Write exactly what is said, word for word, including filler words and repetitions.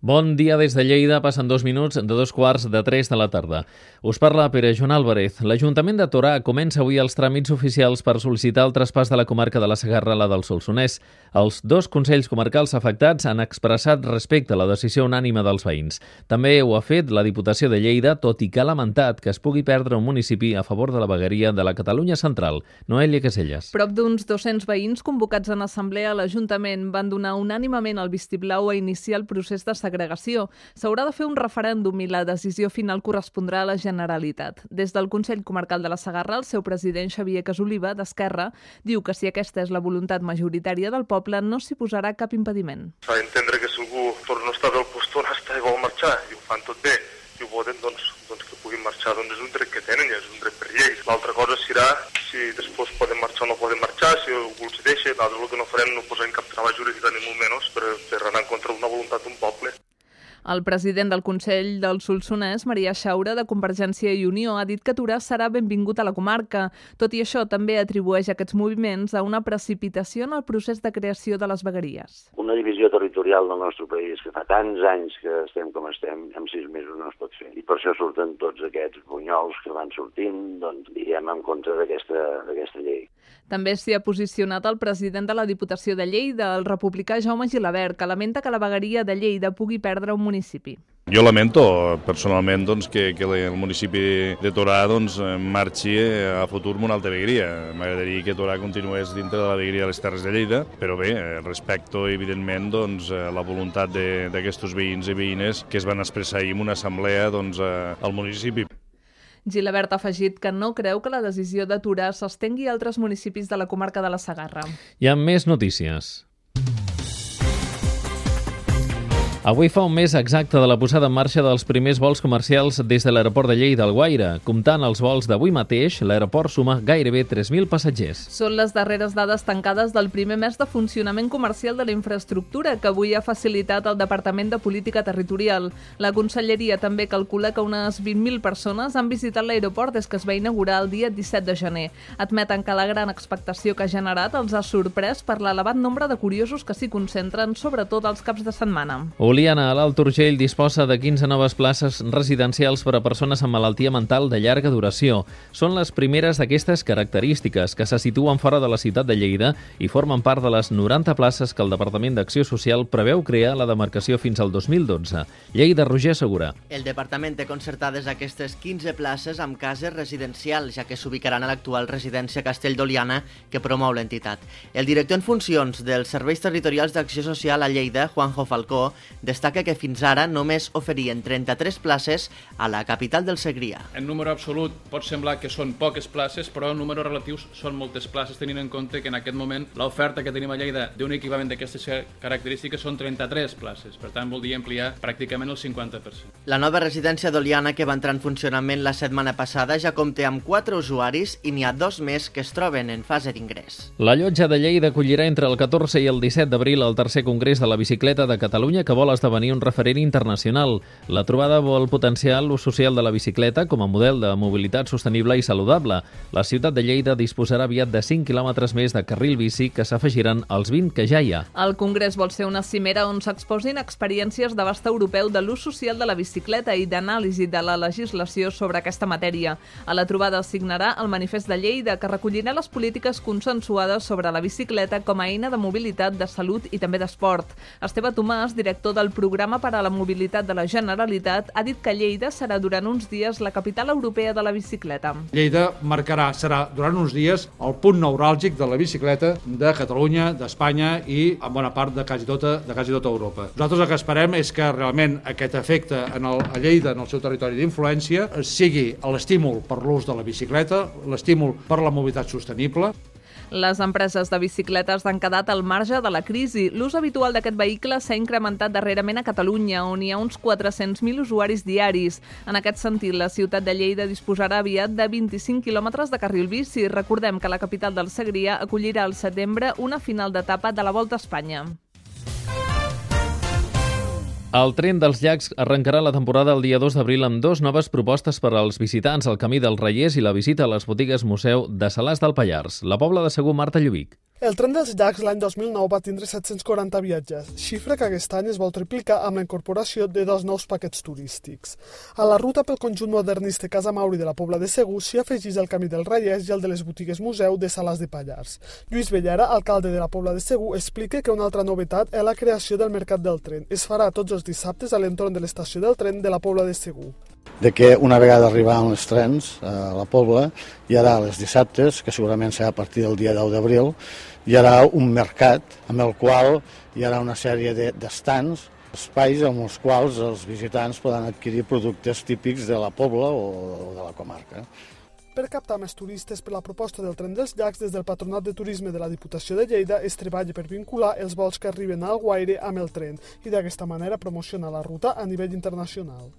Bon dia des de Lleida, passen dos minuts de dos quarts de tres de la tarda. Us parla Pere Joan Álvarez. L'Ajuntament de Torà comença avui els tràmits oficials per sol·licitar el traspàs de la comarca de la Segarra a la del Solsonès. Els dos consells comarcals afectats han expressat respecte a la decisió unànime dels veïns. També ho ha fet la Diputació de Lleida, tot i que ha lamentat que es pugui perdre un municipi a favor de la vegueria de la Catalunya Central. Noelia Caselles. Prop d'uns dos-cents veïns convocats en assemblea a l'Ajuntament van donar unànimement el vistiplau a iniciar el procés de segregació. S'haurà de fer un referèndum i la decisió final correspondrà a la Generalitat. Des del Consell Comarcal de la Segarra, el seu president Xavier Casoliva, d'Esquerra, diu que si aquesta és la voluntat majoritària del poble, no s'hi posarà cap impediment. S'ha d'entendre que si algú per no estar bé al lloc on està i vol marxar i ho fan tot bé i ho voten, doncs, doncs que puguin marxar, doncs és un dret que tenen i és un dret per llei. L'altra cosa serà si després poden marxar o no poden marxar, si algú els deixa. Nosaltres el que no farem no posarem cap trava jurídica ni molt menys per, per anar en contra d'una voluntat d'un poble. El president del Consell del Solsonès, Maria Xaura, de Convergència i Unió, ha dit que Torà serà benvingut a la comarca. Tot i això, també atribueix aquests moviments a una precipitació en el procés de creació de les vegueries. Una divisió territorial del nostre país que fa tants anys que estem com estem, en sis mesos no es pot fer. I per això surten tots aquests bunyols que van sortint, doncs, diguem, en contra d'aquesta d'aquesta llei. També s'hi ha posicionat el president de la Diputació de Lleida, el republicà Jaume Gilabert, que lamenta que la vegueria de Lleida pugui perdre un municipi. Jo lamento personalment doncs, que, que el municipi de Torà doncs, marxi a futur amb una altra vegueria. M'agradaria que Torà continués dintre de la vegueria de les Terres de Lleida, però bé, respecto evidentment doncs, la voluntat d'aquests veïns i veïnes que es van expressar ahir en una assemblea doncs, al municipi. Gilabert ha afegit que no creu que la decisió de Torà s'estengui a altres municipis de la comarca de la Segarra. Hi ha més notícies. Avui fa un mes exacte de la posada en marxa dels primers vols comercials des de l'aeroport de Lleida al Guaire. Comptant els vols d'avui mateix, l'aeroport suma gairebé tres mil passatgers. Són les darreres dades tancades del primer mes de funcionament comercial de la infraestructura que avui ha facilitat el Departament de Política Territorial. La Conselleria també calcula que unes vint mil persones han visitat l'aeroport des que es va inaugurar el dia disset de gener. Admeten que la gran expectació que ha generat els ha sorprès per l'elevat nombre de curiosos que s'hi concentren, sobretot els caps de setmana. Oliana, a l'Alt Urgell, disposa de quinze noves places residencials per a persones amb malaltia mental de llarga duració. Són les primeres d'aquestes característiques que se situen fora de la ciutat de Lleida i formen part de les noranta places que el Departament d'Acció Social preveu crear a la demarcació fins al dos mil dotze. Lleida, Roger Segura. El Departament té concertades aquestes quinze places amb cases residencials, ja que s'ubicaran a l'actual residència Castell d'Oliana que promou l'entitat. El director en funcions dels Serveis Territorials d'Acció Social a Lleida, Juanjo Falcó, destaca que fins ara només oferien trenta-tres places a la capital del Segrià. En número absolut pot semblar que són poques places, però en números relatius són moltes places, tenint en compte que en aquest moment l'oferta que tenim a Lleida d'un equipament d'aquestes característiques són trenta-tres places. Per tant, voldria ampliar pràcticament el cinquanta per cent. La nova residència d'Oliana, que va entrar en funcionament la setmana passada, ja compta amb quatre usuaris i n'hi ha dos més que es troben en fase d'ingrés. La Llotja de Lleida acollirà entre el catorze i el disset d'abril el tercer congrés de la bicicleta de Catalunya, que vol esdevenir un referent internacional. La trobada vol potenciar l'ús social de la bicicleta com a model de mobilitat sostenible i saludable. La ciutat de Lleida disposarà aviat de cinc quilòmetres més de carril bici que s'afegiran als vint que ja hi ha. El congrés vol ser una cimera on s'exposin experiències d'abast europeu de l'ús social de la bicicleta i d'anàlisi de la legislació sobre aquesta matèria. A la trobada es signarà el Manifest de Lleida, que recollirà les polítiques consensuades sobre la bicicleta com a eina de mobilitat, de salut i també d'esport. Esteve Tomàs, director del Programa per a la Mobilitat de la Generalitat, ha dit que Lleida serà durant uns dies la capital europea de la bicicleta. Lleida marcarà, serà durant uns dies, el punt neuràlgic de la bicicleta de Catalunya, d'Espanya i en bona part de quasi tota, de quasi tota Europa. Nosaltres el que esperem és que realment aquest efecte en el, a Lleida, en el seu territori d'influència, sigui l'estímul per l'ús de la bicicleta, l'estímul per la mobilitat sostenible. Les empreses de bicicletes han quedat al marge de la crisi. L'ús habitual d'aquest vehicle s'ha incrementat darrerament a Catalunya, on hi ha uns quatre-cents mil usuaris diaris. En aquest sentit, la ciutat de Lleida disposarà aviat de vint-i-cinc quilòmetres de carril bici. Recordem que la capital del Segrià acollirà al setembre una final d'etapa de la Volta a Espanya. El Tren dels Llacs arrencarà la temporada el dia dos d'abril amb dos noves propostes per als visitants, el Camí dels Reiers i la visita a les botigues museu de Salàs del Pallars. La Pobla de Segur, Marta Lluvic. El tren dels llacs l'any dos mil nou va tindre set-cents quaranta viatgers, xifra que aquest any es vol triplicar amb la incorporació de dos nous paquets turístics. A la ruta pel conjunt modernista Casa Mauri de la Pobla de Segur s'hi afegís el Camí del Rallès i el de les botigues museu de Salàs de Pallars. Lluís Bellara, alcalde de la Pobla de Segur, explica que una altra novetat és la creació del Mercat del Tren. Es farà tots els dissabtes a l'entorn de l'estació del tren de la Pobla de Segur. De que una vegada arribaran els trens a la Pobla, hi haurà els dissabtes, que segurament serà a partir del dia deu d'abril, hi haurà un mercat amb el qual hi haurà una sèrie d'estants, espais amb els quals els visitants poden adquirir productes típics de la Pobla o de la comarca. Per captar més turistes per la proposta del tren dels llacs, des del Patronat de Turisme de la Diputació de Lleida es treballa per vincular els vols que arriben a Alguaire amb el tren i d'aquesta manera promocionar la ruta a nivell internacional.